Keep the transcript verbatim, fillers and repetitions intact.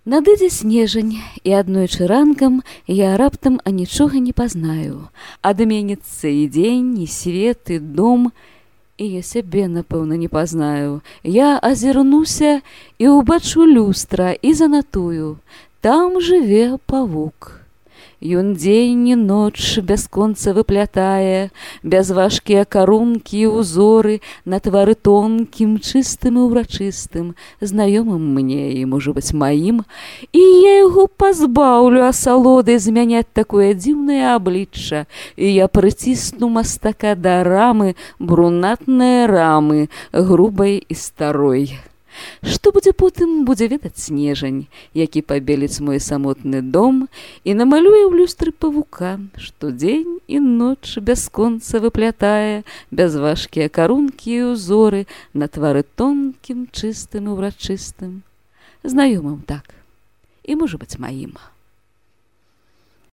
Надыдзе снежань, і аднойчы ранкам я раптам анічога не пазнаю. Адменіцца і дзень, і свет, і дом, і я сябе, напэўна, не пазнаю. Я азірнуся і ўбачу люстра і занатую. Там жыве павук. Ён дзень і ноч бясконца выплятае, бязважкія карункі і ўзоры на твары тонкім, чыстым і ўрачыстым, знаёмым мне і, можа быць, маім, і я яго пазбаўлю асалодай змяняць такое дзіўнае аблічча, і я прыцісну мастака да рамы, брунатнае рамы, грубай і старой. Што будзе потым, будзе ведаць снежань, які пабеліць мой самотны дом і намалюе ў люстры павука, што дзень і ноч бясконца выплятае бязважкія карункі і ўзоры на твары тонкім, чыстым і ўрачыстым, знаёмым так, і, можа быць, маім.